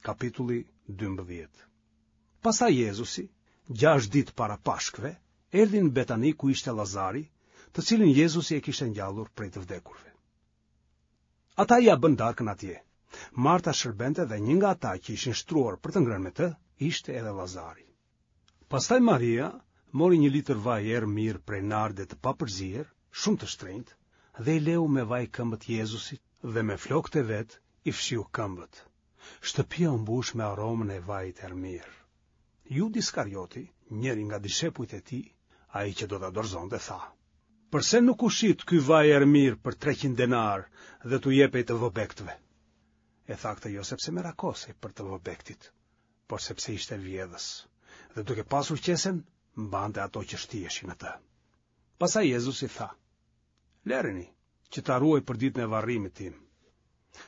Kapitulli 12. Pastaj Jezusi, gjashtë ditë para Pashkëve, erdhi në Betani ku ishte Lazari, të cilin Jezusi e kishte ngjallur prej të vdekurve. Ata ia bënë darkën atje. Marta shërbente dhe një nga ata që ishin shtruar për të ngrënë me të, ishte edhe Lazari. Pastaj Maria mori një litër vaj erë mirë prej narde të papërzier, shumë të shtrenjtë, dhe i leu me vaj këmbët Jezusit dhe me flokët e vet i fshiu këmbët. Shtëpia u mbush me aromën e vajit erëmirë. Judë Iskarioti, njëri nga dishepujt e tij, ai që do ta dorëzonte, tha: Përse nuk u shit ky vaj erëmirë për 300 denarë dhe t'u jepej të vobektëve? E tha këtë jo sepse merakosej për të vobektit, por sepse ishte vjedhës, dhe duke pasur qesen, mbante ato që shtiheshin në të. Pastaj Jezusi tha, Lëreni, që ta ruajë për ditën e varrimit tim,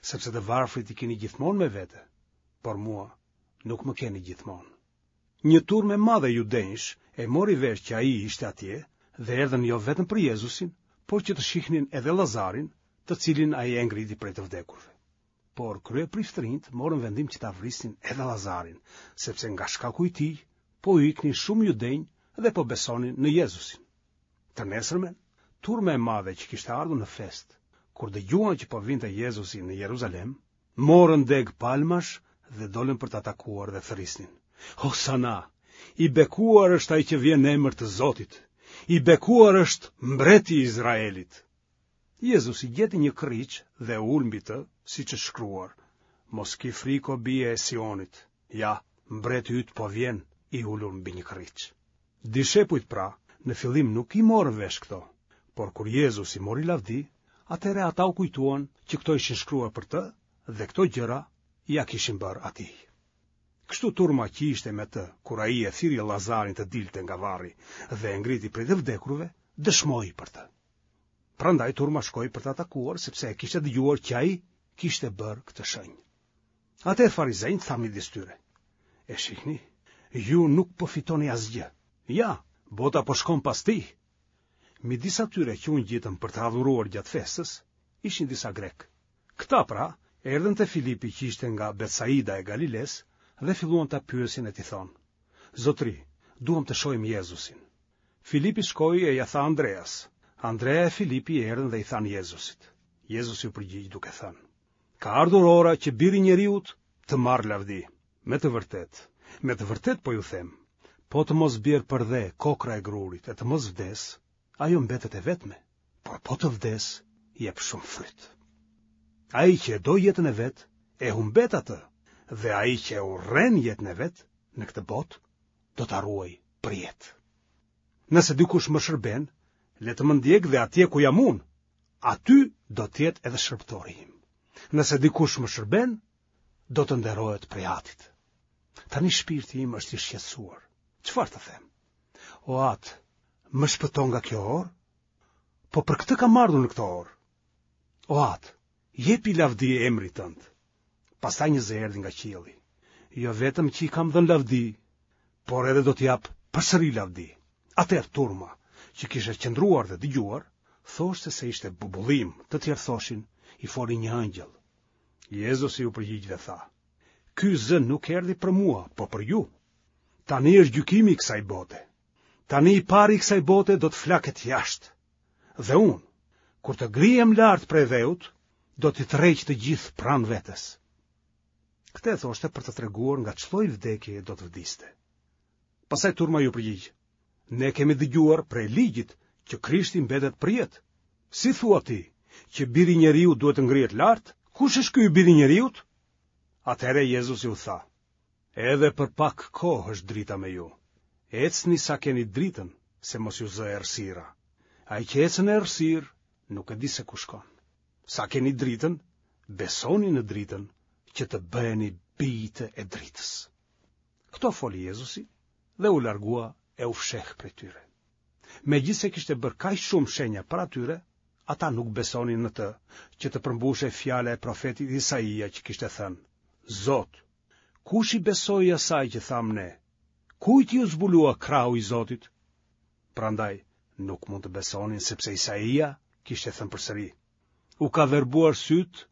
sepse të varfrit i keni gjithmonë me vete, por mua nuk më keni gjithmonë. Një turmë e madhe judenjsh e mori vesh që ai ishte atje dhe erdhën jo vetëm për Jezusin, por që të shihnin edhe Lazarin, të cilin ai e ngriti prej të vdekurve. Por kryepriftërinjtë morën vendim që ta vrisnin edhe Lazarin, sepse nga shkaku i tij po u iknin shumë judenj dhe po besonin në Jezusin. Të nesërmen, turma e madhe që kishte ardhur në festë, kur dëgjuan që po vinte Jezusi në Jeruzalem, morën degë palmash dhe dolën për ta takuar dhe thërrisnin. Hosana, i bekuar është ai që vjen në emër të Zotit, i bekuar është mbreti i Izraelit. Jezusi gjeti një kërriç dhe u ul mbi të, siç është shkruar, mos ki frikë o bije e Sionit, ja, mbreti yt po vjen i ulur mbi një kërriç. Dishepujt pra, në fillim nuk i morën vesh këto, por kur Jezusi mori lavdi, atëherë ata u kujtuan që këto ishin shkruar për të dhe këto gjëra ia kishin bërë atij. Kështu turma që ishte me të, kur ai e thirri Lazarin të dilte nga varri dhe e ngriti prej të vdekurve, dëshmoi për të. Prandaj turma shkoi për ta takuar sepse e kishte dëgjuar që ai kishte bërë këtë shenjë. Atëherë farizenjtë thanë midis tyre: E shihni, ju nuk po fitoni asgjë. Ja, bota po shkon pas tij. Midis atyre që u ngjitën për të adhuruar gjatë festës, ishin disa grekë. Këta pra, erdhën te Filipi që ishte nga Betsaida e Galilesë dhe filluan ta pyesin e t'i thonë: Zotëri, duam të shohim Jezusin. Filipi shkoi e ia tha Andreas. Andrea e Filipi erdhën dhe i thanë Jezusit. Jezusi u përgjigj duke thënë: Ka ardhur ora që biri i njeriut të marrë lavdi. Me të vërtetë, me të vërtetë po ju them, po të mos bjerë përdhe kokrra e grurit e të mos vdesë, ajo mbetet e vetme, por po të vdesë, jep shumë fryt. Ai që e do jetën e vet, e humbet atë, dhe ai që e urren jetën e vet në këtë botë, do ta ruajë për jetë. Nëse dikush më shërben, le të më ndjekë dhe atje ku jam unë, aty do të jetë edhe shërbëtori im. Nëse dikush më shërben, do të nderohet prej Atit. Tani shpirti im është i shqetësuar. Çfarë të them? O Atë, më shpëto nga kjo orë? Po për këtë kam ardhur në këtë orë. O Atë, jepi lavdi emrit tënd. Pastaj një zë erdhi nga qielli. Jo vetëm që i kam dhënë lavdi, por edhe do t'i jap përsëri lavdi. Atëherë turma, që kishte qëndruar dhe dëgjuar, thoshte se ishte bubullimë, të tjerë thoshin, i foli një engjëll. Jezusi u përgjigj dhe tha, Ky zë nuk erdhi për mua, po për ju. Tani është gjykimi i kësaj bote. Tani i pari i kësaj bote do të flaket jashtë. Dhe unë, kur të ngrihem lart prej dheut, do t'i tërheq të gjithë pranë vetes. Këtë e thoshte për të treguar nga ç'lloj vdekjeje do të vdiste. Pastaj turma iu përgjigj. Ne kemi dëgjuar prej ligjit që Krishti mbetet përjetë. Si thua ti që biri i njeriut duhet të ngrihet lart? Kush është ky biri i njeriut? Atëherë Jezusi u tha: Edhe për pak kohë është drita me ju. Ecni sa keni dritën, se mos ju zë errësira. Ai që ecën në errësirë nuk e di se ku shkon. Sa keni dritën, besoni në dritën që të bëheni bijtë e dritës. Këto foli Jezusi dhe u largua e u fsheh prej tyre. Megjithëse kishte bërë kaq shumë shenja para tyre, ata nuk besonin në të, që të përmbushej fjala e profetit Isaia që kishte thënë: Zot, kush i besoi asaj që thamë ne? Kujt iu zbulua krahu i Zotit? Prandaj nuk mund të besonin sepse Isaia kishte thënë përsëri: U ka verbuar sytë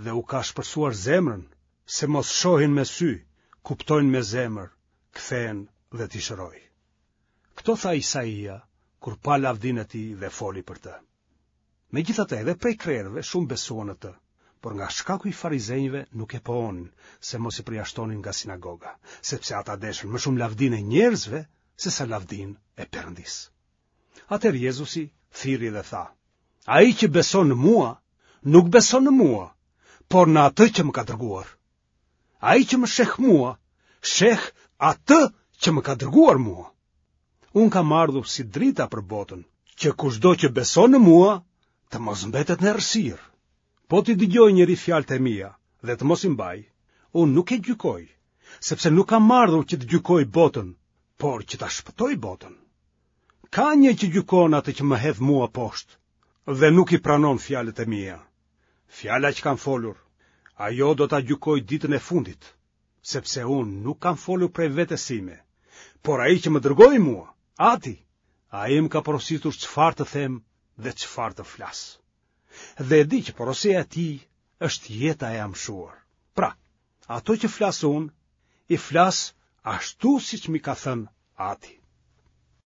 dhe u ka ashpërsuar zemrën. se mos shohin me sy, kuptojnë me zemër, kthehen dhe t'i shëroj. Këto tha Isaia, kur pa lavdinë e tij dhe foli për të. Megjithatë edhe prej krerëve shumë besuan në të, por nga shkaku i farizenjve nuk e pohonin, se mos i përjashtonin nga sinagoga, sepse ata deshën më shumë lavdinë e njerëzve sesa lavdinë e Perëndisë. Atëherë Jezusi thirri dhe tha, Ai që beson në mua, nuk beson në mua, por në atë që më ka dërguar. Ai që më sheh mua, sheh atë që më ka dërguar mua. Unë kam ardhur si drita për botën, që kushdo që beson në mua, të mos mbetet në errësirë. Po t'i dëgjojë njeri fjalët e mia dhe të mos i mbajë, unë nuk e gjykoj, sepse nuk kam ardhur që të gjykoj botën, por që ta shpëtoj botën. Ka një që gjykon atë që më hedh mua poshtë dhe nuk i pranon fjalët e mia. Fjala që kam folur, ajo do ta gjykojë ditën e fundit, sepse unë nuk kam folur prej vetes sime, por ai që më dërgoi mua, Ati, ai më ka porositur çfarë të them dhe çfarë të flas. Dhe e di që porosia e tij është jeta e amshuar. Pra, ato që flas unë, i flas ashtu siç m'i ka thënë Ati.